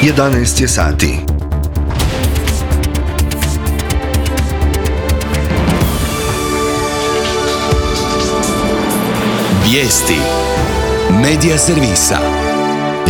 11 je sati. Vijesti Medija servisa.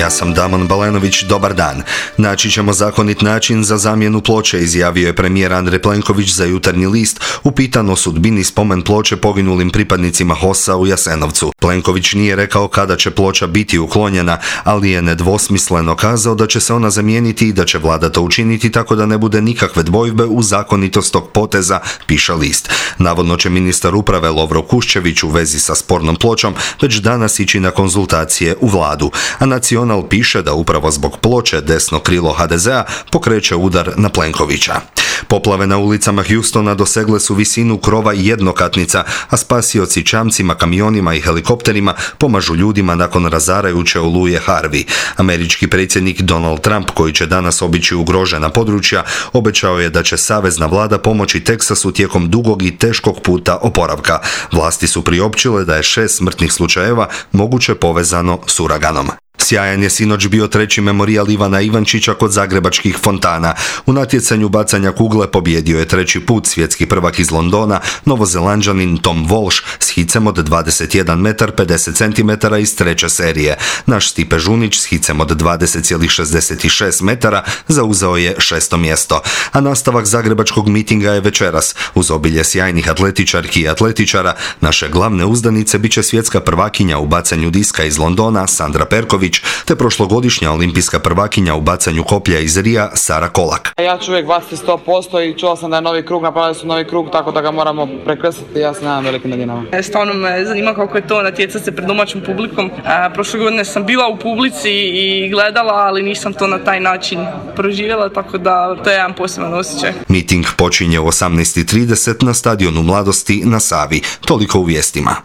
Ja sam Damon Balenović, dobar dan. Naći ćemo zakonit način za zamjenu ploče, izjavio je premijer Andrej Plenković za Jutarnji list, upitan o sudbini spomen ploče poginulim pripadnicima HOS-a u Jasenovcu. Plenković nije rekao kada će ploča biti uklonjena, ali je nedvosmisleno kazao da će se ona zamijeniti i da će vlada to učiniti tako da ne bude nikakve dvojbe u zakonitost tog poteza, piše list. Navodno će ministar uprave Lovro Kuščević u vezi sa spornom pločom već danas ići na konzultacije u vladu, a Nacional piše da upravo zbog ploče desno krilo HDZ-a pokreće udar na Plenkovića. Poplave na ulicama Houstona dosegle su visinu krova jednokatnica, a spasioci čamcima, kamionima i helikopterima pomažu ljudima nakon razarajuće oluje Harvey. Američki predsjednik Donald Trump, koji će danas obići ugrožena područja, obećao je da će savezna vlada pomoći Teksasu tijekom dugog i teškog puta oporavka. Vlasti su priopćile da je 6 smrtnih slučajeva moguće povezano s uraganom. Sjajan je sinoć bio treći memorijal Ivana Ivančića kod zagrebačkih fontana. U natjecanju bacanja kugle pobjedio je treći put svjetski prvak iz Londona, Novozelanđanin Tom Walsh s hicem od 21 metar 50 cm iz treće serije. Naš Stipe Žunić s hicem od 20,66 metara zauzeo je 6. mjesto. A nastavak zagrebačkog mitinga je večeras. Uz obilje sjajnih atletičarki i atletičara, naše glavne uzdanice bit će svjetska prvakinja u bacanju diska iz Londona Sandra Perković, te prošlogodišnja olimpijska prvakinja u bacanju koplja iz Rija Sara Kolak. Ja ću uvijek baciti 100% i čula sam da je novi krug, napravili su novi krug, tako da ga moramo prekrstiti. Ja se nadam velikim nadinama. Stvarno me zanima kako je to natjecati se pred domaćim publikom. Prošle godine sam bila u publici i gledala, ali nisam to na taj način proživjela, tako da to je jedan poseban osjećaj. Miting počinje u 18:30 na stadionu Mladosti na Savi. Toliko u vijestima.